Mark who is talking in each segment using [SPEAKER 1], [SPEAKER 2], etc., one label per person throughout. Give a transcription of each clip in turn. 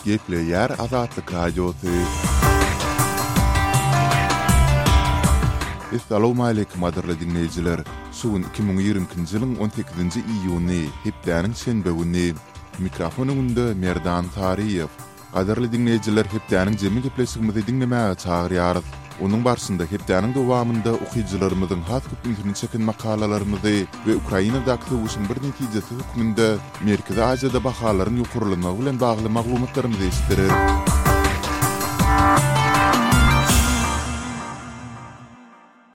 [SPEAKER 1] Gepleýär Azatlyk Radiosy. Essalawmaleýkim gadyrly diňleýjiler! Şu gün 2022-nji ýylyň 18-nji iýuny, hepdäniň şenbe güni. Mikrofon öňünde Merdan Saryýew. Gadyrly diňleýjiler hepdäniň jemi gepleşigimizi diňlemäge çagyrýarys. Onuň barşynda hepdäniň dowamynda okyjylarymyzyň has köp ünsüni çeken makalalarymyzy we Ukrainadaky söweşiň bir netijesi hökmünde Merkezi Aziýada bahalaryň ýokarlanmagy bilen bagly maglumatlarymyzy eşitdireris.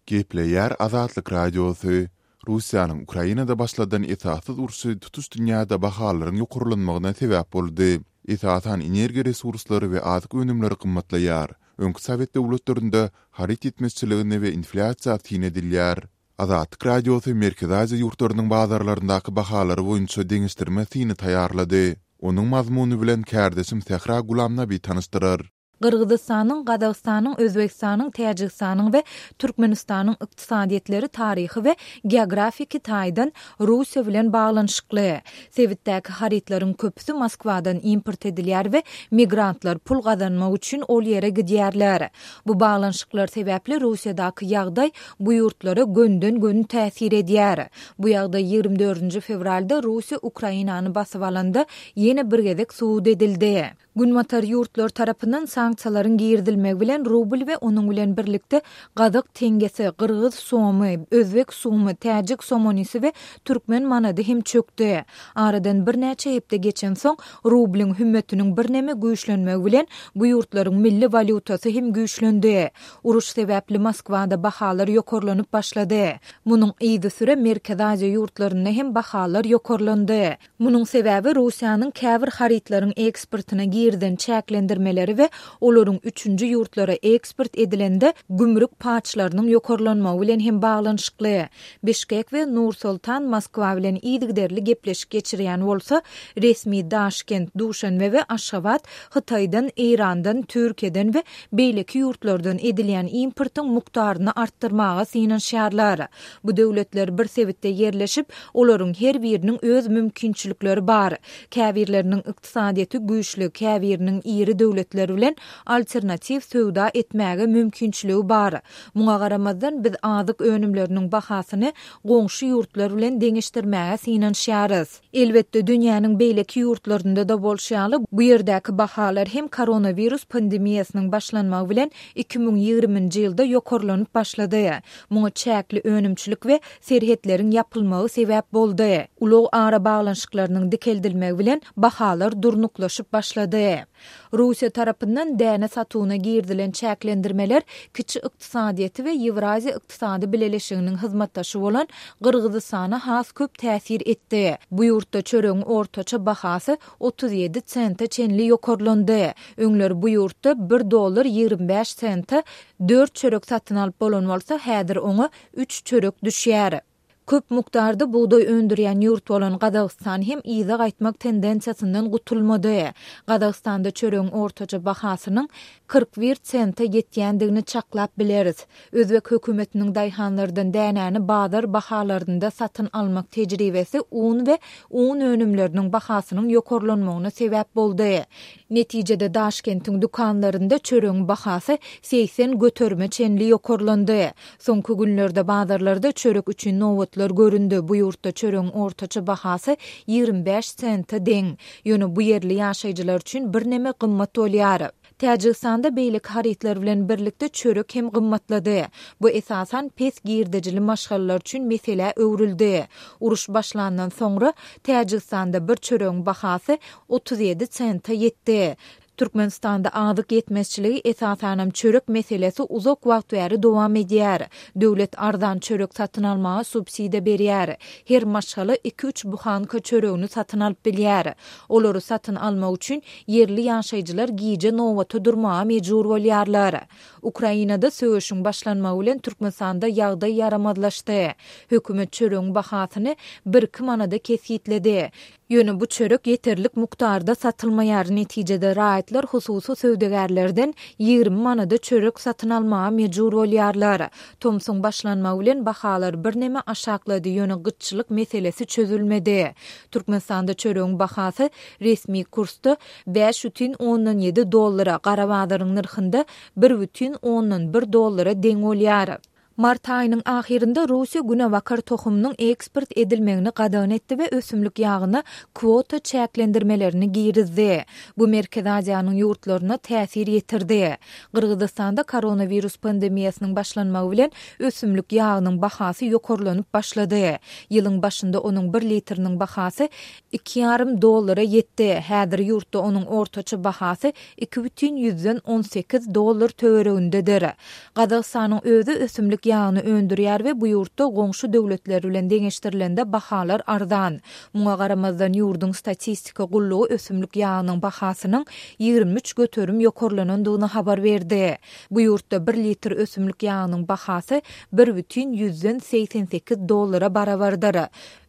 [SPEAKER 1] Gepleýär Azatlyk Radiosy, Russiýanyň Ukrainada başladan esassyz urşy tutuş dünýäde bahalaryň ýokarlanmagyna sebäp boldy. Esasan energiýa resurslary we azyk önümleri gymmatlaýar. Öňki sowet döwletlerinde haryt ýetmezçiligine we inflýasiýa syn edilýär. Azatlyk Radiosy Merkezi Aziýa ýurtlarynyň bazarlaryndaky bahalary boýunça deňeşdirme syny taýýarlady. Onuň mazmuny bilen kärdeşim Sähra Gulamnabi tanyşdyrar.
[SPEAKER 2] Gyrgyzystanyň, Gazagystanyň, Özbegistanyň, Täjigistanyň we Türkmenistanyň ykdysadyýetleri taryhy we geografiki taýdan Russiýa bilen baglanyşykly. Sebitdäki harytlaryň köpüsi Moskwadan import edilýär we migrantlar pul gazanmak üçin ol ýere gidýärler. Bu baglanyşyklar sebäpli Russiýadaky ýagdaý bu ýurtlara gönden-göni täsir edýär. Bu ýagdaý 24-nji fewralda Russiýa Ukrainany basyp alanda ýene bir gezek subut edildi. Günbatar ýurtlar tarapyndan sanksiýalaryň girizilmegi bilen rubl we onuň bilen birlikde gazak teňňesi, gyrgyz somy, özbek sumy, täjik somonisi we türkmen manady hem çökdi. Aradan birnäçe hepde geçensoň, rublyň hümmetiniň birneme güýçlenmegi bilen bu ýurtlaryň milli walýutasy hem güýçlendi. Uruş sebäpli Moskwada bahalar ýokarlanyp başlady. Munuň yzysüre Merkezi Aziýa ýurtlarynda hem bahalar ýokarlandy. Munuň sebäbi Russiýanyň käbir harytlaryň eksportyna girizen çäklendirmeleri we olaryň üçünji ýurtlara eksport edilende gümrük paçlarynyň ýokarlanmagy bilen hem baglanyşykly. Bişkek we Nur-Sultan Moskwa bilen yzygiderli gepleşik geçirýän bolsa, resmi Daşkent, Duşanbe we Aşgabat Hytaýdan, Eýrandan, Türkiýeden we beýleki ýurtlardan edilýän importyň mukdaryny artdyrmaga synanyşýarlar. Bu döwletler bir sebitde ýerleşip, olaryň her biriniň öz mümkinçilikleri bar. Käbirleriniň ykdysadyýeti güýçli, käbiriniň iri döwletler bilen alternatiw söwda etmäge mümkinçiligi bar. Muňa garamazdan, biz azyk önümleriniň bahasyny goňşy ýurtlar bilen deňeşdirmäge synanyşýarys. Elbetde, dünýäniň beýleki ýurtlarynda-da bolşy ýaly, bu ýerdäki bahalar hem koronawirus pandemiýasynyň başlanmagy bilen 2020-nji ýylda ýokarlanyp başlady. Muňa çäkli önümçilik we serhetleriň ýapylmagy sebäp boldy. Ulag arabaglanyşyklarynyň dikeldilmegi bilen bahalar durnuklaşyp başlady. Russiýa tarapyndan däne satuwyna girizilen çäklendirmeler kiçi ykdysadyýeti we Ýewraziýa ykdysady bileleşiginiň hyzmatdaşy bolan Gyrgyzystana has köp täsir etdi. Bu ýurtda çöregiň ortaça bahasy 37 sente çenli ýokarlandy. Öňler bu ýurtda bir dollar 25 sente dört çörek satyn alyp bolan bolsa, häzir oňa üç çörek düşýär. Köp mukdarda bugdaý öndürýän ýurt bolan Gazagystan hem yza gaýtmak tendensiýasyndan gutulmady. Gazagystanda çöregiň ortaça bahasynyň 41 sente ýetýändigini çaklap bileris. Özbek hökümetiniň daýhanlardan dänäni bazar bahalarynda satyn almak tejribesi un we un önümleriniň bahasynyň ýokarlanmagyna sebäp boldy. Netijede Daşkentiň dükanlarynda çöregiň bahasy 80 göterime çenli ýokarlandy. Soňky günlerde bazarlarda çörek üçin nobatlar göründi, bu ýurtda çöregiň ortaça bahasy 25 sente deň. Ýöne bu ýerli ýaşaýjylar üçin birneme gymmat bolýar. Täjigistanda beýleki harytlar bilen birlikde çörek hem gymmatlady. Bu esasan pes girdejili maşgalalar üçin meselä öwrüldi. Uruş başlandan soňra Täjigistanda bir çöregiň bahasy 37 sente ýetdi. Türkmenistanda azyk ýetmezçiligi, esasanam çörek meselesi uzak wagt bäri dowam edýär. Döwlet arzan çörek satyn almaga subsidiýa berýär. Her maşgala iki-üç buhanka çöregini satyn alyp bilýär. Olary satyn almak üçin ýerli ýaşaýjylar gije nobata durmaga mejbur bolýarlar. Ukrainada söweşiň başlanmagy bilen Türkmenistanda ýagdaý ýaramazlaşdy. Hökümet çöregiň bahasyny birki manada kesgitledi. Ýöne bu çörek ýeterlik mukdarda satylmaýar, netijede raýatlar hususy söwdagärlerden 20 manada çörek satyn almaga mejbur bolýarlar. Tomsuň başlanmagy bilen bahalar birneme aşaklady, ýöne gytçylyk meselesi çözülmedi. Türkmenistanda çöregiň bahasy resmi kursda 5,7 dollara, gara bazaryň nyrhynda 1,1 dollara deň bolýar. Mart aýynyň ahyrynda Russiýa günebakar tohumynyň eksport edilmegini gadagan etdi we ösümlik ýagyna kwota çäklendirmelerini girizdi. Bu Merkezi Aziýanyň ýurtlaryna täsir ýetirdi. Gyrgyzystanda koronawirus pandemiýasynyň başlanmagy bilen ösümlik ýagynyň bahasy ýokarlanyp başlady. Ýylyň başynda onuň bir litriniň bahasy iki ýarym dollara ýetdi. Häzir ýurtda onuň ortaça bahasy 2,18 dollar töweregindedir. Gazagystanyň özi ösümlik ýagyny öndürýär we bu ýurtda goňşy döwletler bilen deňeşdirilende bahalar arzan. Muňa garamazdan, ýurduň statistika gullugy ösümlik ýagynyň bahasynyň 23% ýokarlanandygyny habar berdi. Bu ýurtda bir litr ösümlik ýagynyň bahasy 1,88 dollara barabardyr.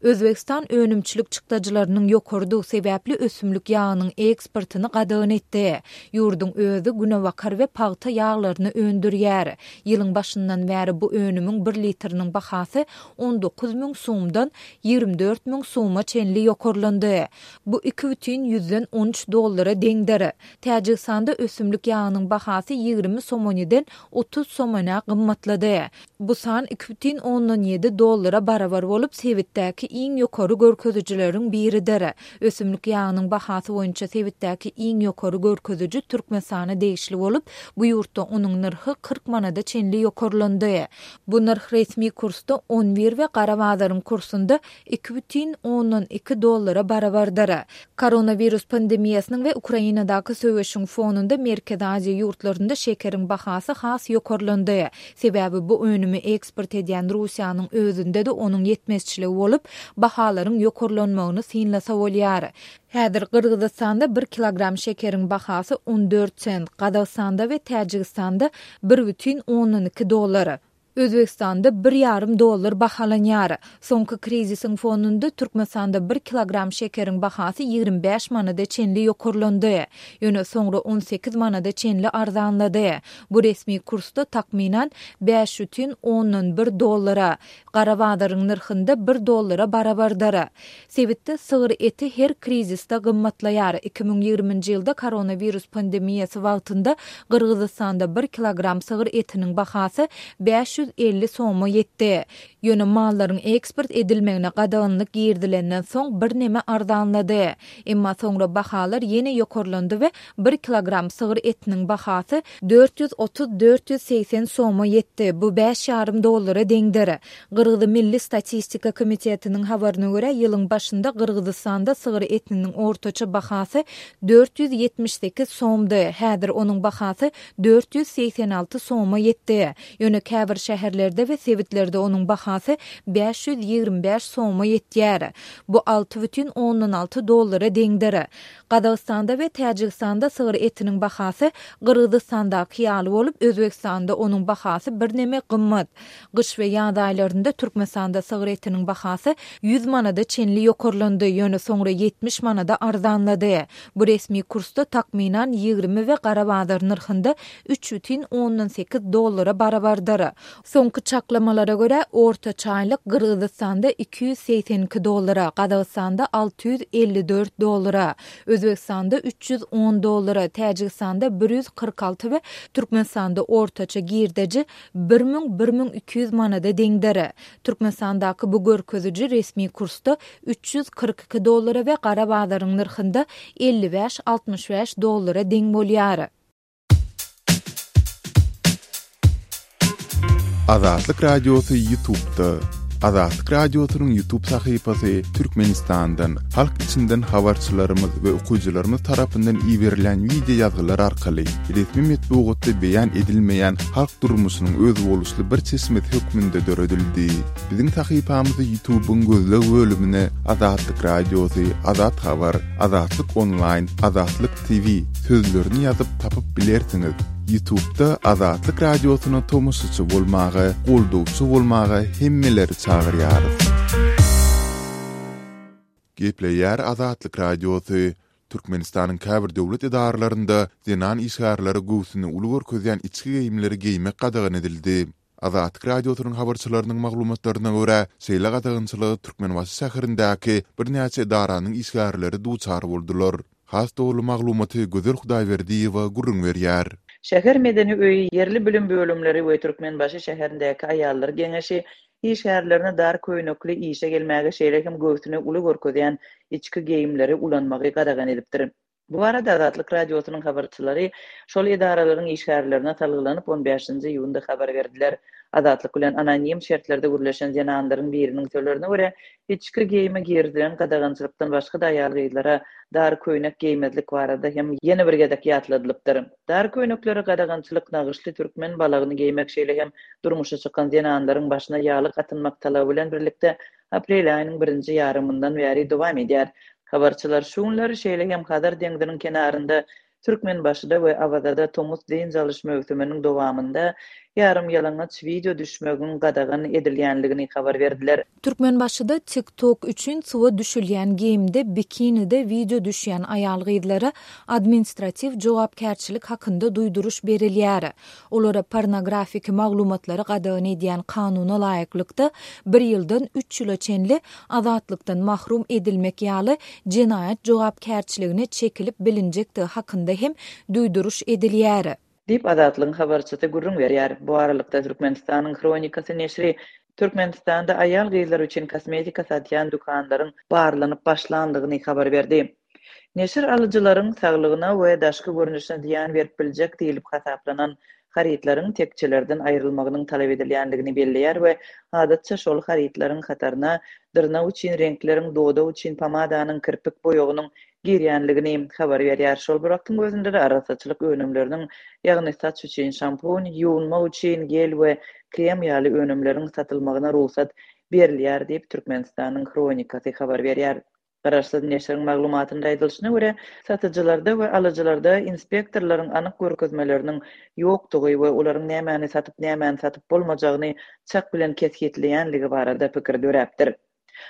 [SPEAKER 2] Özbegistan önümçilik çykdajylarynyň ýokarydygy sebäpli ösümlik ýagynyň eksportyny gadagan etdi. Ýurduň özi günebakar we pagta ýaglaryny öndürýär. Ýylyň başyndan bäri bu önümiň bir litriniň bahasy 19 müň sumdan 24 müň suma çenli ýokarlandy. Bu 2,13 dollara deňdir. Täjigistanda ösümlik ýagynyň bahasy 20 somoniden 30 somonä gymmatlady. Bu san 2,7 dollara barabar bolup, sebitdäki iň ýokary görkezijileriň biridir. Ösümlik ýagynyň bahasy boýunça sebitdäki iň ýokary görkeziji Türkmenistana degişli bolup, bu ýurtda onuň nyrhy 40 manada çenli ýokarlandy. Bu nyrh resmi kursda 11 we gara bazaryň kursunda 2,2 dollara barabardyr. Koronawirus pandemiýasynyň we Ukrainadaky söweşiň fonunda Merkezi Aziýa ýurtlarynda şekeriň bahasy has ýokarlandy. Sebäbi bu önümi eksport edýän Russiýanyň özünde-de onuň ýetmezçiligi bolup, bahalaryň ýokarlanmagyny synlasa bolýar. Häzir Gyrgyzystanda bir kilogram şekeriň bahasy 14 sent, Gazagystanda we Täjigistanda 1,2 dollar. Özbegistanda bir ýarym dollar bahalanýar. Soňky krizisiň fonunda Türkmenistanda bir kilogram şekeriň bahasy 25 manada çenli ýokarlandy. Ýöne soňra 18 manada çenli arzanlady. Bu resmi kursda takmynan 5,1 dollara, gara bazaryň nyrhynda bir dollara barabardyr. Sebitde sygyr eti her krizisde gymmatlaýar. 2020-nji ýylda koronawirus pandemiýasy wagtynda Gyrgyzystanda bir kilogram sygyr etiniň bahasy 550 soma ýetdi. Ýöne mallaryň eksport edilmegine gadaganlyk girizilenden soň birneme arzanlady. Emma soňra bahalar ýene ýokarlandy we bir kilogram sygyr etiniň bahasy 430-480 soma ýetdi, bu bäş ýarym dollara deňdir. Gyrgyz Milli statistika komitetiniň habaryna görä, ýylyň başynda Gyrgyzystanda sygyr etiniň ortaça bahasy 478 somdy, häzir onuň bahasy 486 soma ýetdi. Ýöne käbir şäherlerde we sebitlerde onuň bahasy 525 soma ýetýär. Bu 6,6 dollara deňdir. Gazagystanda we Täjigistanda sygyr etiniň bahasy Gyrgyzystandaky ýaly bolup, Özbegistanda onuň bahasy birneme gymmat. Gyş we ýaz aýlarynda Türkmenistanda sygyr etiniň bahasy 100 manada çenli ýokarlandy, ýöne soňra 70 manada arzanlady. Bu resmi kursda takmynan 20 we gara bazar nyrhynda 3,8 dollara barabardyr. Soňky çaklamalara görä, ortaça aýlyk Gyrgyzystanda 282 dollara, Gazagystanda 654 dollara, Özbegistanda 310 dollara, Täjigistanda 146 we Türkmenistanda ortaça girdeji 1000, 1200 manada deňdir. Türkmenistandaky bu görkeziji resmi kursda 342 dollara we gara bazaryň nyrhynda 55, 65 dollara deň bolýar.
[SPEAKER 1] Azatlyk Radiosy YouTube'da. Azatlyk Radiosynyň YouTube sahypasy Türkmenistandan, halk içinden habarçylarymyz we okyjylarymyz tarapyndan iberilen wideo ýazgylar arkaly resmi metbugatda beýan edilmeýän halk durmuşynyň özboluşly bir çeşmesi hökmünde döredildi. Biziň sahypamyzy YouTube'yň gözleg bölümine Azatlyk Radiosy, Azat Habar, Azatlyk Onlaýn, Azatlyk TV sözlerini ýazyp tapyp bilersiňiz. Ýutubda Azatlyk Radiosyna tomaşaçy bolmaga, goldawçy bolmaga hemmeleri çagyrýarys. Gepleýär Azatlyk Radiosy, Türkmenistanyň käbir döwlet edaralarynda zenan işgärlere göwsüni uly görkezýän içki geýimleri geýmek gadagan edildi. Azatlyk Radiosynyň habarçylarynyň maglumatlaryna görä, şeýle gadagançylyga Türkmenbaşy şäherindäki birnäçe edaranyň işgärleri duçar boldular. Has doly maglumaty Gözel Hudaýberdiýewa gürrüň berýär.
[SPEAKER 3] Şäher medeni öýi, ýerli bilim bölümleri we Türkmenbaşy şäherindäki Aýallar geňeşi işgärlerine dar köýnekli işe gelmäge şeýle hem göwsüni uly görkezýän içki geýimleri ulanmagy gadagan edipdir. Bu barada Azatlyk Radiosynyň habarçylary şol edaralaryň işgärlerine salgylanyp, on bäşinji iýunda habar berdiler. Azatlyk bilen anonim şertlerde gürleşen zenanlaryň biriniň sözlerine görä, içki geýime girizilen gadagançylykdan başga-da aýal-gyzlara dar köýnek geýmezlik barada hem ýene bir gezek ýatladylypdyr. Dar köýneklere gadagançylyk nagyşly türkmen balagyny geýmek, şeýle hem durmuşa çykan zenanlaryň başyna ýaglyk atynmak talaby bilen birlikde aprel aýynyň birinji ýarymyndan bäri dowam edýär. Habarçylar şu günler şeýle hem Hazar deňziniň kenarynda, Türkmenbaşyda we Awazada tomus dynç alyş möwsüminiň dowamynda ýarym ýalaňaç wideo düşmegiň gadagan edilýänligini habar berdiler.
[SPEAKER 2] Türkmenbaşyda TikTok üçin suwa düşülýän geýimde bikinide wideo düşýän aýal-gyzlara administratiw jogapkärçilik hakynda duýduryş berilýär. Olara pornografiki maglumatlary gadagan edýän kanuna laýyklykda, bir ýyldan üç ýyla çenli azatlykdan mahrum edilmek ýaly jenaýat jogapkärçiligine çekilip bilinjekdigi hakynda hem duýduryş edilýär.
[SPEAKER 3] Diýip, Azatlygyň habarçysy gürrüň berýär. Bu aralykda, Türkmenistanyň Hronikasy neşiri Türkmenistanda aýal-gyzlar üçin kosmetika satýan dükanlaryň barlanyp başlandygyny habar berdi. Neşir alyjylaryň saglygyna we daşky görnüşine zyýan berip biljek diýlip hasaplanan harytlaryň tekjelerden aýrylmagynyň talap edilýändigini belleýär we adatça şol harytlaryň hataryna dyrnak üçin reňkleriň, dodak üçin pomadanyň, kirpik boýagynyň girýänligini habar berýär. Şol bir wagtyň özünde-de arassaçylyk önümleriniň, ýagny saç üçin şampun, ýuwunmak üçin gel we krem ýaly önümleriň satylmagyna rugsat berilýär diýip, Türkmenistanyň Hronikasy habar berýär. Garaşsyz neşiriň maglumatynda aýdylyşyna görä, satyjylarda we alyjylarda inspektorlaryň anyk görkezmeleriniň ýokdugy we olaryň nämäni satyp, nämäni satyp bolmajagyny çak bilen kesgitleýänligi barada pikir döräpdir.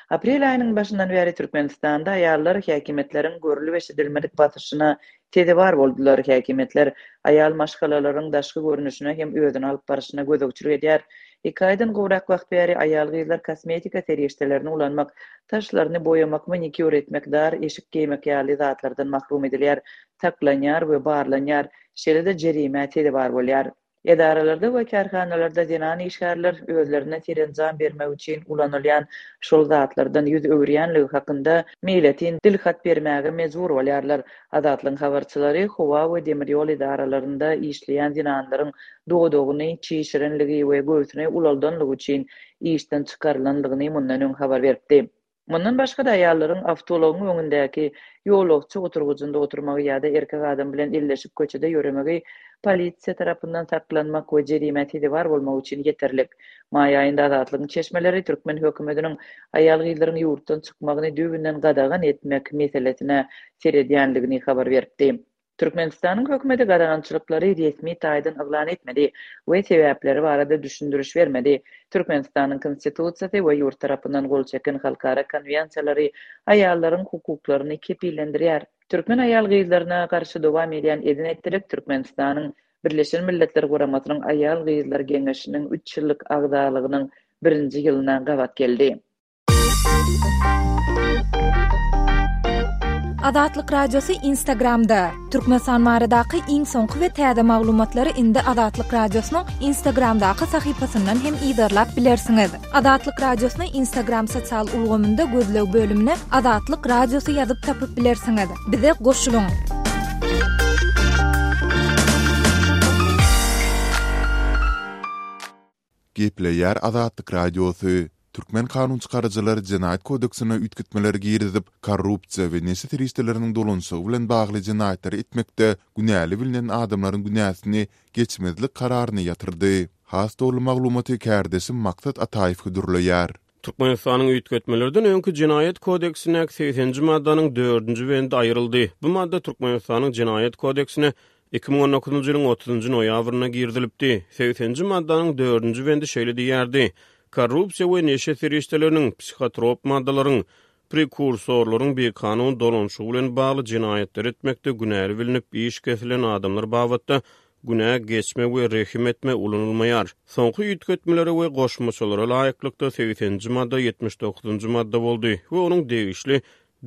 [SPEAKER 3] Aprel aýynyň başyndan bäri Türkmenistanda aýallar häkimiýetleriň görlüp-eşidilmedik basyşyna sezewar boldular. Häkimiýetler aýal maşgalalaryň daşky görnüşine hem özüni alyp barşyna gözegçilik edýär. Iki aýdan gowrak wagt bäri aýal-gyzlar kosmetika serişdelerini ulanmak, saçlaryny boýamak, manikýur etmek, dar eşik geýmek ýaly zatlardan mahrum edilýär, saklanýar we barlanýar, şeýle-de jerimä sezewar bolýar. Edaralarda we kärhanalarda zenan işgärler özlerine serenjam bermek üçin ulanylýan şol zatlardan ýüz öwürýänligi hakynda meýletin dil hat bermäge mejbur bolýarlar. Azatlygyň habarçylary howa we demir ýol edaralarynda işleýän zenanlaryň dodagyny çişirenligi we göwsüni ulaldanlygy üçin işden çykarylanlygyny mundan öň habar beripdi. Mundan başga-da, aýallaryň awtoulagyň öňündäki ýolagçy oturgyjynda oturmagy ýa-da erkek adam bilen elleşip köçede ýöremegi polisiýa tarapyndan saklanmak we jerimä sezewar bolmak üçin ýeterlik. Maý aýynda Azatlygyň çeşmeleri türkmen hökümetiniň aýal-gyzlaryň ýurtdan çykmagyny düýbünden gadagan etmek meselesine seredýänligini habar beripdi. Türkmenistanyň hökümeti gadagançylyklary resmi taýdan yglan etmedi we sebäpleri barada düşündiriş bermedi. Türkmenistanyň Konstitusiýasy we ýurt tarapyndan gol çeken halkara konwensiýalary aýallaryň hukuklaryny kepillendirýär. Türkmen aýal-gyzlaryna garşy dowam edýän eden-etdilik Türkmenistanyň Birleşen Milletler Guramasynyň Aýal-gyzlar geňeşiniň üç ýyllyk agzalygynyň birinji ýylyna gabat geldi.
[SPEAKER 2] Azatlyk Radiosy Instagramda, Türkmenistan baradaky iň soňky we täze maglumatlary indi Azatlyk Radiosynyň Instagramdaky sahypasyndan hem yzarlap bilersiňiz. Azatlyk Radiosyny Instagram sosial ulgamynda gözleg bölümine Azatlyk Radiosy ýazyp tapyp bilersiňiz. Bize goşulyň!
[SPEAKER 1] Gepleýär Azatlyk Radiosy, Türkmen kanunçykaryjylary Jenaýat kodeksine üýtgetmeleri girizip, korrupsiýa we neşe serişdeleriniň dolanyşygy bilen bagly jenaýatlary etmekde günäli bilnen adamlaryň günäsini geçmezlik kararyny ýatyrdy. Has doly maglumaty kärdeşim Maksat Ataýew hödürleýär.
[SPEAKER 4] Türkmenistanyň üýtgetmelerden öňki Jenaýat kodeksindäki segseninji maddanyň dördünji bendi aýryldy. Bu madda Türkmenistanyň Jenaýat kodeksine. 2019-njy ýylyň otuzynjy noýabrynda girizilipdi. Segseninji maddanyň dördünji bendi şeýle diýýärdi, Korrupsiýa we neşe serişdeleriniň, psihotrop maddalaryň, prekursorlaryň bikanun dolanyşygy bilen bagly jenaýatlary etmekde günäli bilnip iş kesilen adamlar babatda günä geçme we rehim etme ulanylmaýar. Soňky üýtgetmelere we goşmaçalara laýyklykda segseninji madda 79-njy madda boldy we onuň degişli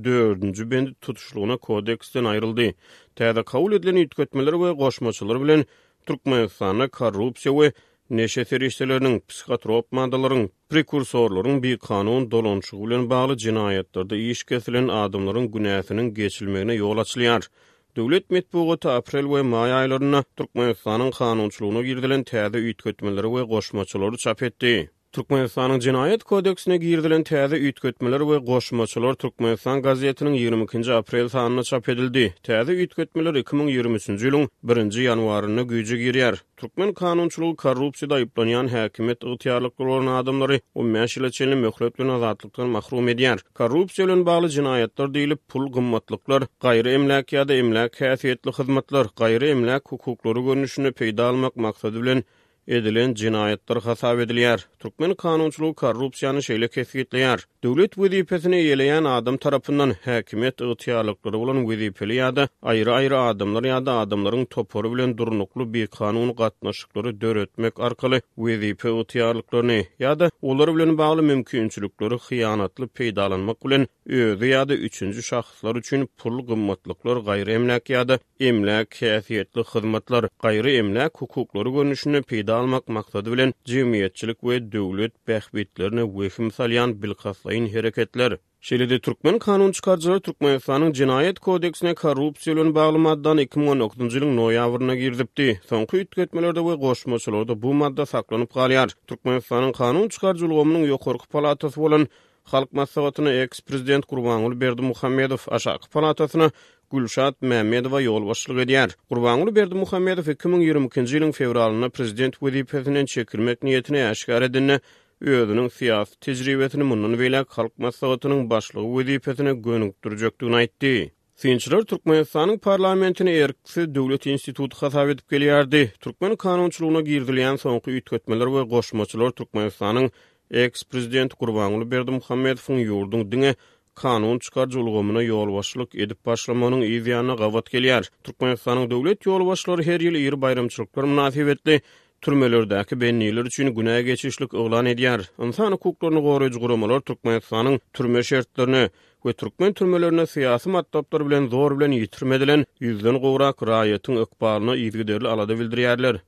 [SPEAKER 4] dördünji bendi tutuşlygyna kodeksden aýryldy. Täze kabul edilen üýtgetmeler we goşmaçalar bilen Türkmenistanda korrupsiýa we neşe serişdeleriniň, psihotrop maddalaryň, prekursorlaryň bikanun dolanyşygy bilen bagly jenaýatlarda iş kesilen adamlaryň günäsiniň geçilmegine ýol açylýar. Döwlet metbugaty aprel we maý aýlarynda Türkmenistanyň kanunçylygyna girizilen täze üýtgetmeleri we goşmaçalary çap etdi. Türkmenistanyň Jenaýat kodeksine girizilen täze üýtgetmeler we goşmaçalar Türkmenistan gazetiniň 22-nji aprel sanynda çap edildi. Täze üýtgetmeler 2023-nji ýylyň birinji ýanwarynda güýje girýär. Türkmen kanunçylygy korrupsiýada aýyplanýan häkimiýet ygtyýarlyklary bolan adamlary on bäş ýyla çenli möhlet bilen azatlykdan mahrum edýär. Korrupsiýa bilen bagly jenaýatlar diýlip, pul, gymmatlyklar, gaýry emläk ýa-da emläk häsiýetli hyzmatlar, gaýry emläk hukuklary görnüşinde peýda almak maksady bilen edilen jenaýatlar hasap edilýär. Türkmen kanunçylygy korrupsiýany şeýle kesgitleýär, Döwlet wezipesini eýeleýän adam tarapyndan, häkimiýet ygtyýarlyklary bolan wezipeli ýa-da aýry-aýry adamlar ýa-da adamlaryň topary bilen durnukly bikanun gatnaşyklary döretmek arkaly wezipe ygtyýarlyklaryny ýa-da olar bilen bagly mümkinçilikleri hyýanatly peýdalanmak bilen özi ýa-da üçünji şahslar üçin pul, gymmatlyklar, gaýry emläk ýa-da emläk häsiýetli hyzmatlar, gaýry emläk hukuklary görnüşinde peýda almak maksady bilen jemgyýetçilik we döwlet bähbitlerine wehim salýan bilkastlaýyn hereketler. Şeýle-de türkmen kanun çykaryjylary Türkmenistanyň Jenaýat kodeksine korrupsiýa bilen bagly maddany 2019-njy ýylyň noýabrynda girizipdi. Soňky üýtgetmelerde we goşmaçalarda bu madda saklanyp galýar. Türkmenistanyň kanun çykaryjy ulgamynyň ýokarky palatasy bolan Halk Maslahatyna eks-prezident Gurbanguly Berdimuhamedow, aşaky palatasyna Gülşat Mämmedowa ýolbaşçylyk edýär. Gurbanguly Berdimuhamedow 2022-nji ýylyň fewralynda prezident wezipesinden çekilmek niýetini äşgär edende, özüniň syýasy tejribesini mundan beýläk Halk Maslahatynyň Başlygy wezipesine gönükdirjekdigini aýtdy. Synçylar Türkmenistanyň parlamentini erksiz döwlet instituty hasap edip gelýärdi. Türkmen kanunçylygyna girizilýän soňky üýtgetmeler we goşmaçalar Türkmenistanyň eks-prezidenti Gurbanguly Berdimuhamedowyň ýurduň diňe kanun çykaryjy ulgamyna ýolbaşçylyk edip başlamagynyň yz ýanyna gabat gelýär. Türkmenistanyň döwlet ýolbaşçylary her ýyl iri baýramçylyklar mynasybetli türmelerdäki bendiler üçin günä geçişlik yglan edýär. Ynsan hukuklaryny goraýjy guramalar Türkmenistanyň türme şertlerine we türkmen türmelerinde syýasy matlaplar bilen zor bilen ýitirim edilen ýüzden gowrak raýatyň ykbalyna yzygiderli alada bildirýärler.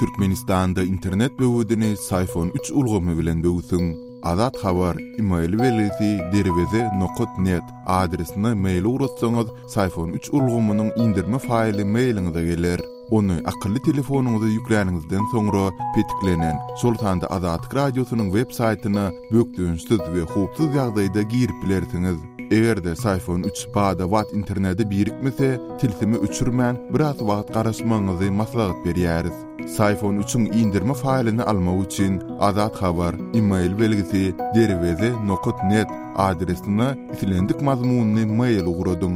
[SPEAKER 1] Türkmenistanda internet böwedini Syfon üç ulgamy bilen böwsüň. Azat Habar, email belgisi derweze nokat net adresine mail ugratsaňyz, Syfon üç ulgamynyň indirme faýly mailiňize geler. Ony akylly telefonyňyza ýükläniňizden soňra, petiklenen, şol sanda Azatlyk Radiosynyň web saýtyna bökdençsiz we howpsuz ýagdaýda girip bilersiňiz. Eger-de Syfon üç bada-bat internete birikmese, tilsimi öçürmän, biraz wagt garaşmagyňyzy maslahat berýäris. Syfon üçiň indirme faýlyny almak üçin Azat Habar, email belgisi, derweze nokat net adresine islendik mazmunly mail ugradyň.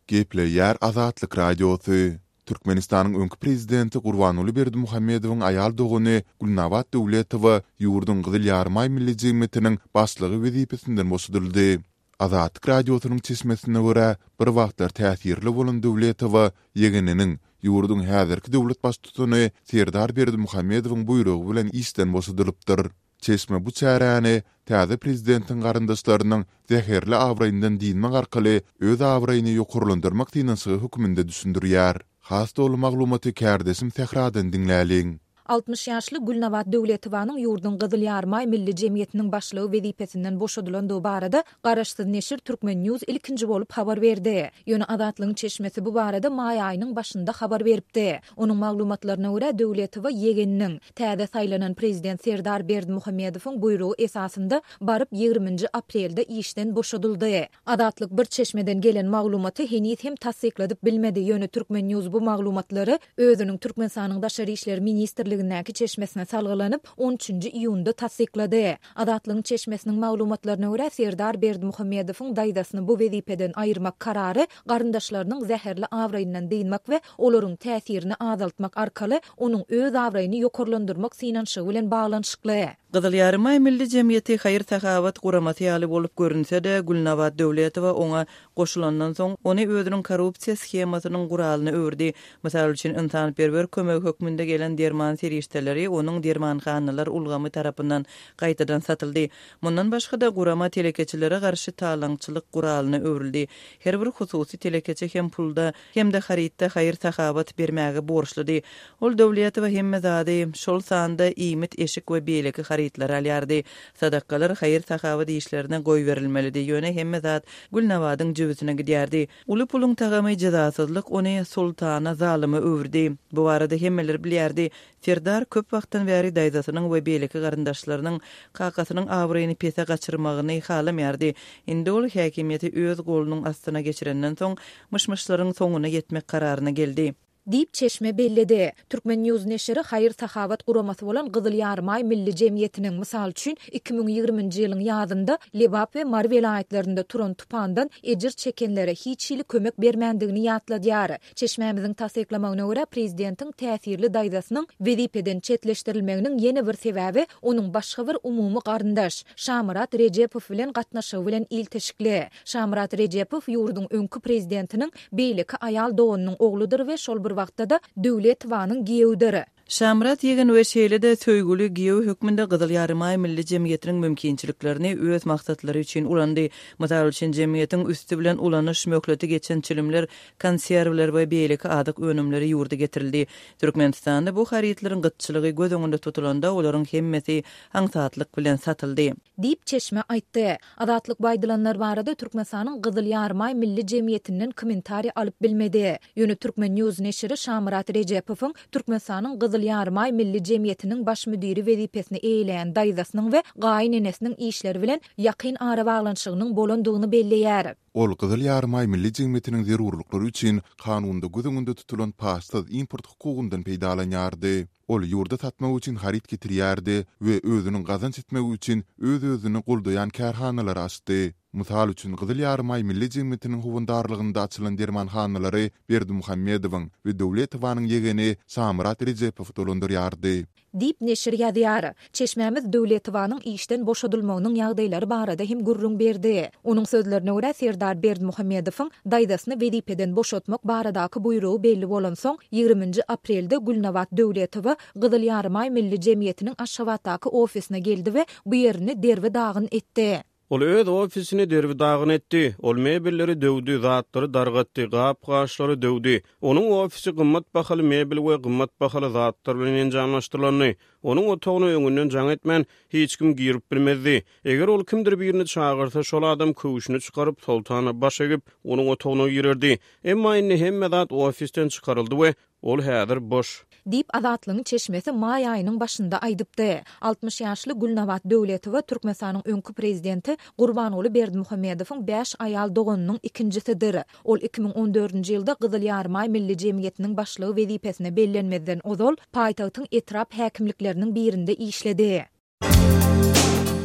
[SPEAKER 1] Gepleýär Azatlyk Radiosy. Türkmenistanyň öňki prezidenti Gurbanguly Berdimuhamedowyň aýal dogany Gülnabat Döwletowa ýurduň Gyzyl Ýarymaý Milli jemgyýetiniň başlygy wezipesinden boşadyldy. Azatlyk Radiosynyň çeşmesine görä, bir wagtlar täsirli bolan Döwletowa ýegeniniň, ýurduň häzirki döwlet baştutany Serdar Berdimuhamedowyň buýrugy bilen işden boşadylypdyr. Çeşme bu çäräni täze prezidentiň garyndaşlarynyň zäherli abraýyndan dynmak arkaly öz abraýyny ýokarlandyrmak synanyşygy hökmünde düşündirýär. Has doly maglumaty kärdeşim Sähradan diňläliň.
[SPEAKER 2] 60 ýaşly Gülnabat Döwletowanyň ýurduň Gyzyl Ýarymaý Milli jemgyýetiniň başlygy wezipesinden boşadylandygy barada garaşsyz neşir Turkmen. News ilkinji bolup habar berdi. Ýöne Azatlygyň çeşmesi bu barada maý aýynyň başynda habar beripdi. Onuň maglumatlaryna görä, Döwletowa ýegeniniň, täze saýlanan prezident Serdar Berdimuhamedowyň buýrugy esasynda baryp ýigriminji aprelde işden boşadyldy. Azatlyk bir çeşmeden gelen maglumaty heniz hem tassykladyp bilmedi, ýöne Turkmen. News bu maglumatlary özüniň Türkmenistanyň Daşary işler ministrliginde. gezegindäki çeşmesine salgylanyp, on üçünji iýunda tassyklady. Azatlygyň çeşmesiniň maglumatlaryna görä, Serdar Berdimuhamedowyň daýzasyny bu wezipeden aýyrmak karary garyndaşlarynyň zäherli abraýyndan dynmak we olaryň täsirini azaltmak arkaly onuň öz abraýyny ýokarlandyrmak synanyşygy bilen baglanyşykly.
[SPEAKER 3] Gyzyl Ýarymaý Milli jemgyýeti haýyr-sahawat guramasy ýaly bolup görünse-de, Gülnabat Döwletowa oňa goşulandan soň, ony özüniň korrupsiýa shemasynyň guralyna öwürdi. Mysal üçin, ynsanperwer kömegi hökmünde gelen derman serişdeleri onuň dermanhanalar ulgamy tarapyndan gaýtadan satyldy. Mundan başga-da, gurama telekeçilere garşy talaňçylyk guralyna öwrüldi. Her bir hususy telekeçi hem pulda, hem-de harytda haýyr-sahawat bermäge borçludy. Ol Döwletowa hemme zady, şol sanda iýmit, eşik we beýleki harytlary alýardy. Sadakalar haýyr-sahawat işlerine goýberilmelidi, ýöne hemme zat Gülnabadyň jübüsine gidýärdi. Uly puluň tagamy jezasyzlyk ony soltana, zalyma öwürdi. Bu barada hemmeler bilýärdi. Serdar köp wagtdan bäri daýzasynyň we beýleki garyndaşlarynyň kakasynyň abraýyny pese gaçyrmagyny halamaýardy. Indi ol häkimiýeti öz golunyň astyna geçirenden soň, myş-myşlaryň soňuna ýetmek kararyna geldi.
[SPEAKER 2] Diýip, çeşme belledi. Turkmen. News neşiri haýyr-sahawat guramasy bolan Gyzyl Ýarymaý Milli jemgyýetiniň, mysal üçin, 2020-nji ýylyň ýazynda Lebap we Mary welaýatlarynda turan tupandan ejir çekenlere hiç hili kömek bermändigini ýatladýar. Çeşmämiziň tassyklamagyna görä, prezidentiň täsirli daýzasynyň wezipeden çetleşdirilmeginiň ýene bir sebäbi onuň başga bir umumy garyndaş, Şamyrat Rejepow bilen gatnaşygy bilen ilteşikli. Şamyrat Rejepow ýurduň öňki prezidentiniň beýleki aýal doganynyň ogludyr we şol bir wagtda-da Döwletowanyň giýewidir.
[SPEAKER 3] Şamyrat ýegen we şeýle-de söýgüli giýew hökmünde Gyzyl Ýarymaý Milli jemgyýetiniň mümkinçiliklerini öz maksatlary üçin ulandy. Mysal üçin, jemgyýetiň üsti bilen ulanyş möhleti geçen çilimler, konserwler we beýleki azyk önümleri ýurda getirildi. Türkmenistanda bu harytlaryň gytçylygy göz öňünde tutulanda, olaryň hemmesi aňsatlyk bilen satyldy.
[SPEAKER 2] Diýip, çeşme aýtdy. Azatlyk bu aýdylanlar barada Türkmenistanyň Gyzyl Ýarymaý Milli jemgyýetinden kommentariý alyp bilmedi. Ýöne Turkmen. News neşiri Şamyrat Rejepowyň Türkmenistanyň Gyzyl Ýarymaý Milli jemgyýetiniň baş müdiri wezipesini eýeleýän daýzasynyň we gaýynenesiniň işleri bilen ýakyn arabaglanyşygynyň bolandygyny belleýär.
[SPEAKER 1] Ol Gyzyl Ýarymaý Milli jemgyýetiniň zerurlyklary üçin kanunda göz öňünde tutulan paçsyz import hukugyndan peýdalanýardy. Ol ýurda satmak üçin haryt getirýärdi we özüniň gazanç etmegi üçin öz-özüni goldaýan kärhanalary açdy. Mysal üçin, Gyzyl Ýarymaý Milli jemgyýetiniň howandarlygynda açylan dermanhanalary Berdimuhamedowyň we Döwletowanyň ýegeni Şamyrat Rejepow dolandyrýardy.
[SPEAKER 2] Diýip, neşir ýazýar. Çeşmämiz Döwletowanyň işden boşadylmagynyň ýagdaýlary barada hem gürrüň berdi. Onuň sözlerine görä, Serdar Berdimuhamedowyň daýzasyny wezipeden boşatmak baradaky buýrugy belli bolansoň, ýigriminji aprelde Gülnabat Döwletowa Gyzyl Ýarymaý Milli jemgyýetiniň Aşgabatdaky ofisine geldi we bu ýerini derbi-dagyn etdi.
[SPEAKER 4] Ol öz ofisini derbi-dagyn etdi. Ol mebelleri döwdi, zatlary dargatdy, gap-gaçlary döwdi. Onuň ofisi gymmat bahaly mebel we gymmat bahaly zatlar bilen enjamlaşdyrylandy. Onuň otagyna öňünden jaň etmän, hiç kim girip bilmezdi. Eger ol kimdir birini çagyrsa, şol adam köwşüni çykaryp, Soltana baş egip, onuň otagyna girerdi. Emma indi hemme zat ofisden çykaryldy we ol häzir boş.
[SPEAKER 2] Diýip, Azatlygyň çeşmesi maý aýynyň başynda aýdypdy. 60 ýaşly Gülnabat Döwletowa Türkmenistanyň öňki prezidenti Gurbanguly Berdimuhamedowyň bäş aýal doganynyň ikinjisidir. Ol 2014-nji ýylda Gyzyl Ýarymaý Milli jemgyýetiniň başlygy wezipesine bellenmezden ozal, paýtagtyň etrap häkimlikleriniň birinde işledi.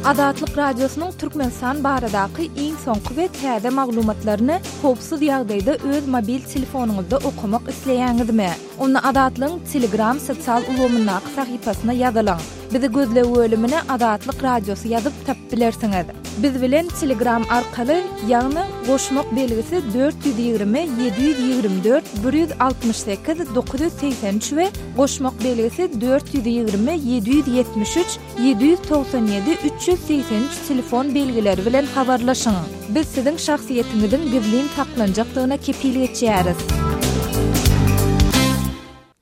[SPEAKER 2] Azatlyk Radiosynyň Türkmenistan baradaky iň soňky we täze maglumatlaryny howpsuz ýagdaýda öz mobil telefonyňyzda okamak isleýäňizmi? Onda Azatlygyň Telegram sosial ulgamyndaky sahypasyna ýazylyň. Bizi gözleg bölümine Azatlyk Radiosy ýazyp tapyp bilersiňiz. Biz bilen Telegram arkaly, ýagny goşmak belgisi 420 724 168 983 we goşmak belgisi 420 773 797 383 telefon belgileri bilen habarlaşyň. Biz siziň şahsyýetiňiziň gizlin saklanjakdygyna kepil geçýäris.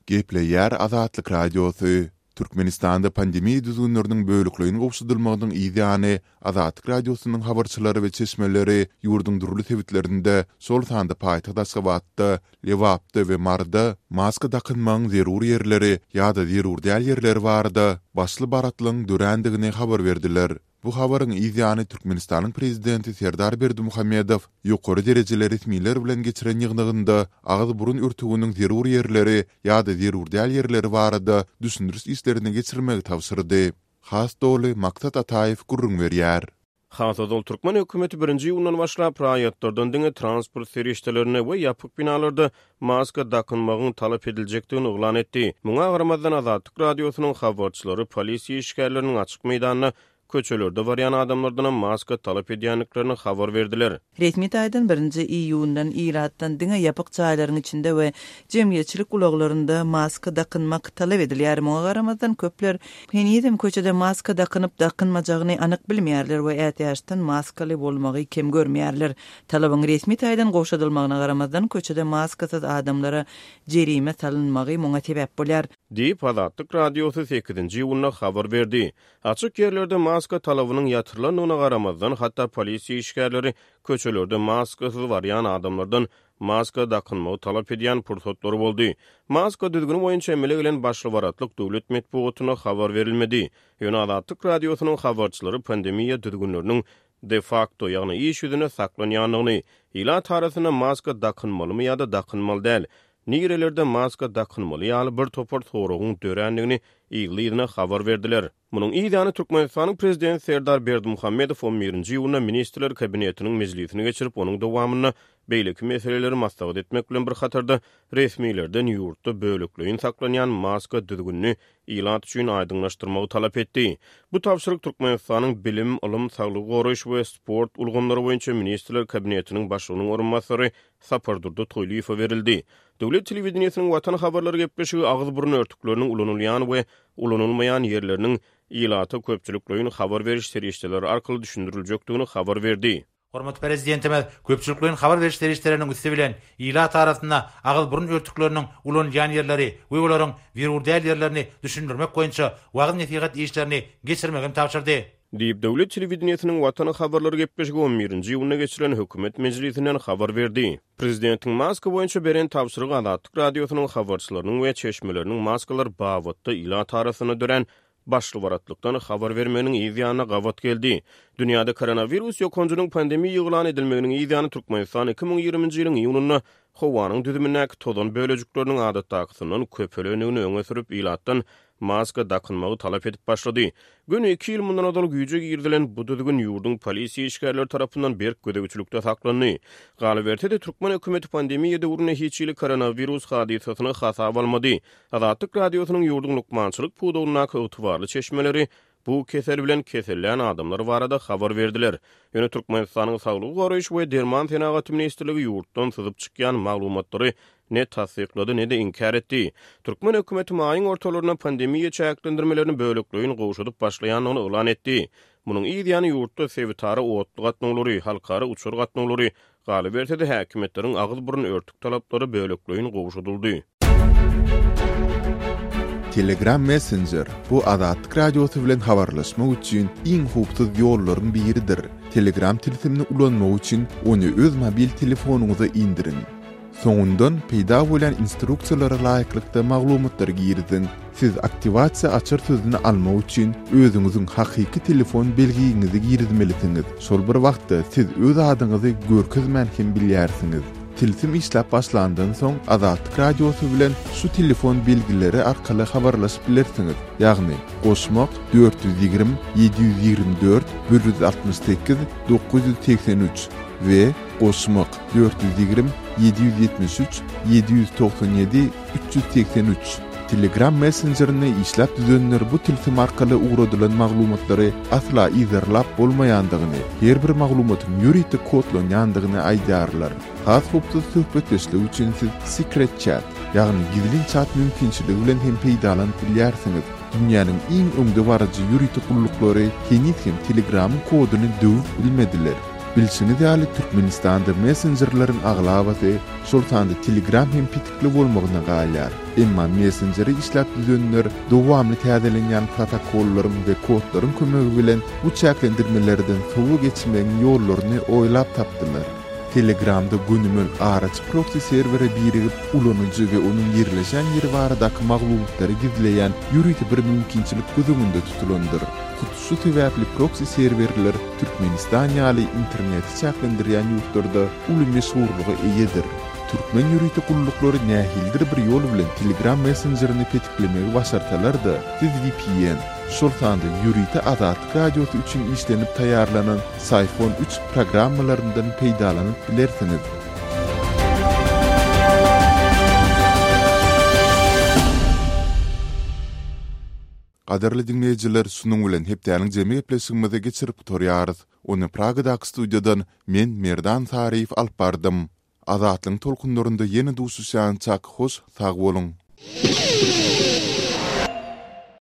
[SPEAKER 1] Gepleýär Azatlyk Radiosy, Türkmenistanda pandemiýa düzgünleriniň bölekleýin gowşadylmagynyň yz ýany, Azatlyk Radiosynyň habarçylary we çeşmeleri ýurduň dürli sebitlerinde, şol sanda paýtagt Aşgabatda, Lebapda we Maryda maska dakynmagyň zerur ýerleri ýa-da zerur däl ýerleri barada başly-baratlygyň dörändigini habar berdiler. Bu habaryň yz ýany Türkmenistanyň Prezidenti Serdar Berdimuhamedow ýokary derejeli resmiler bilen geçiren ýygnagynda agyz-burun örtüginiň zerur ýerleri ýa-da zerur däl ýerleri barada düşündiriş işlerini geçirmegi tabşyrdy. Has doly Maksat Ataýew gürrüň berýär.
[SPEAKER 4] Has ozal türkmen hökümeti birinji iýundan başlap raýatlardan diňe transport serişdelerinde we ýapyk binalarda maska dakynmagyň talap ediljekdigini yglan etdi. Muňa garamazdan, Azatlyk Radiosynyň habarçylary polisiýa işgärleriniň açyk meýdanda köçelerde barýan adamlardanam maska talap edýändiklerini habar berdiler.
[SPEAKER 3] Resmi taýdan birinji iýundan ilatdan diňe ýapyk jaýlaryň içinde we jemgyýetçilik ulaglarynda maska dakynmak talap edilýär. Muňa garamazdan, köpler henizem köçede maska dakynyp-dakynmajagyny anyk bilmeýärler we ätiýaçdan maskaly bolmagy kem görmeýärler. Talabyň resmi taýdan gowşadylmagyna garamazdan, köçede maskasyz adamlara jerime salynmagy muňa sebäp bolýar.
[SPEAKER 4] Diýip, Azatlyk Radiosy sekizinji iýunda habar berdi. Açyk ýerlerde maska talabynyň ýatyrylandygyna garamazdan, hatda polisiýa işgärleri köçelerde maskasyz barýan adamlardan maska dakynmagy talap edýän pursatlary boldy. Maska düzgüni boýunça emele gelen başly-baratlyk döwlet metbugatynda habar berilmedi. Ýöne Azatlyk Radiosynyň habarçylary pandemiýa düzgünleriniň de-fakto, ýagny iş ýüzünde saklanýandygyny, ilat arasynda maska dakynmalymy ýa-da dakynmaly däl, nirelerde maska dakynmaly ýaly bir topar soragyň dörändigini yzly-yzyna habar berdiler. Munuň yz ýany Türkmenistanyň Prezidenti Serdar Berdimuhamedow on birinji iýunda Ministrler Kabinetiniň mejlisini geçirip, onuň dowamynda beýleki meseleleri maslahat etmek bilen bir hatarda, resmilerden ýurtda bölekleýin saklanýan maska düzgünini ilat üçin aýdyňlaşdyrmagy talap etdi. Bu tabşyryk Türkmenistanyň Bilim, ylym, saglygy goraýyş we sport ulgamlary boýunça Ministrler Kabinetiniň Başlygynyň orunbasary Sapardurdy Toýlyýewe berildi. Döwlet telewideniýesiniň Watan habarlary gepleşigi agyz-burun örtükleriniň ulanylýan we ulanylmaýan ýerleriniň ilata köpçülikleýin habar beriş serişdeleri arkaly düşündiriljekdigini habar berdi.
[SPEAKER 5] Hormatly Prezidentimiz köpçülikleýin habar beriş serişdeleriniň üsti bilen ilat arasynda agyz-burun örtükleriniň ulanylýan ýerleri we olaryň zerur däl ýerlerini düşündirmek boýunça wagyz-nesihat işlerini geçirmegi hem tabşyrdy.
[SPEAKER 4] Diýip, döwlet telewideniýesiniň Watan habarlary gepleşigi on birinji iýunda geçirilen hökümet mejlisinden habar berdi. Prezidentiň maska boýunça beren tabşyrygy Azatlyk Radiosynyň habarçylarynyň we çeşmeleriniň maskalar babatda ilat arasynda dörän başly-baratlykdan habar bermeginiň yz ýanyna gabat geldi. Dünýäde koronawirus ýokanjynyň pandemiýa yglan edilmeginiň yz ýany Türkmenistan 2020-nji ýylyň iýunynda howanyň düzümindäki tozan bölejikleriniň adatdakysyndan köpelendigini öňe sürüp, ilatdan maska dakynmagy talap edip başlady. Göni iki ýyl mundan ozal güýje girizilen bu düzgün ýurduň polisiýa işgärleri tarapyndan berk gözegçilikde saklandy. Galyberse-de, türkmen hökümeti pandemiýa döwründe hiç hili koronawirus hadysasyny hasaba almady. Azatlyk Radiosynyň ýurduň lukmançylyk pudagyndaky ygtybarly çeşmeleri bu kesel bilen kesellän adamlar barada habar berdiler. Ýöne Türkmenistanyň Saglygy goraýyş we derman senagaty ministrligi ýurtdan syzyp çykýan maglumatlary ne tassyklady, ne-de inkär etdi. Türkmen hökümeti maýyň ortalarynda pandemiýa çäklendirmelerini bölekleýin gowşadyp başlaýandygyny yglan etdi. Munuň yz ýany ýurtda sebitara otly gatnawlary, halkara uçar gatnawlary, Galyberse-de, häkimiýetleriň agyz-burun örtük talaplary bölekleýin gowşadyldy.
[SPEAKER 1] Telegram Messenger, bu Azatlyk Radiosy bilen habarlaşmak üçin iň howpsuz ýollaryň biridir. Telegram tilsimini ulanmak üçin ony öz mobil telefonyňyza indiriň. Soňundan peýda bolýan instruksiýalara laýyklykda maglumatlary giriziň. Siz aktiwasiýa açar sözüni almak üçin özüňiziň hakyky telefon belgiňizi girizmelisiňiz. Şol bir wagtda siz öz adyňyzy görkezmän hem bilýärsiňiz. Tilsim işläp başlandan soň Azatlyk Radiosy bilen şu telefon belgileri arkaly habarlaşyp bilersiňiz, ýagny, goşmak, 420 724 168 983 we goşmak, 420 773 797 383. Telegram messenjerini işläp düzenler bu tilsim arkaly ugradylan maglumatlary asla yzarlap bolmaýandygyny, her bir maglumatyň ýörite kodlanýandygyny aýdýarlar. Has howpsuz söhbetdeşlik üçin siz Secret Chat, ýagny gizlin çat mümkinçiligi bilen hem peýdalanyp bilýärsiňiz. Dünýäniň iň öňdebaryjy ýörite gulluklary heniz hem Telegramyň koduny döwüp bilmediler. Bilşiňiz ýaly, Türkmenistanda messenjerleriň aglabasy, şol sanda Telegram hem petikli bolmagyna galýar. Emma messenjeri işläp düzenler dowamly täzelenýän protokollaryň we kodlaryň kömegi bilen bu çäklendirmelerden sowa geçmegiň ýollaryny oýlap tapdylar. Telegramda gönümel araçy proksi serwere birigip, ulanyjy we onuň ýerleşen ýeri baradaky maglumatlary gizleýän ýörite bir mümkinçilik göz öňünde tutulandyr. Hut şu sebäpli proksi serwerler Türkmenistan ýaly interneti çäklendirýän ýurtlarda uly meşhurlyga eýedir. Türkmen ýörite gulluklary nähilidir bir ýol bilen Telegram messenjerini petiklemegi başarsalar-da, siz vpn, şol sanda ýörite Azatlyk Radiosy üçin işlenip taýýarlanan Syphon üç programmalaryndan peýdalanyp bilersiňiz. Gadyrly diňleýjiler, şunuň bilen hepdäniň jemi gepleşigimizi geçirip gutarýarys. Ony Pragadaky studiýadan men, Merdan Saryýew alyp bardym. Azatlygyň tolkunlarynda ýene duşuşýançak hoş sag boluň!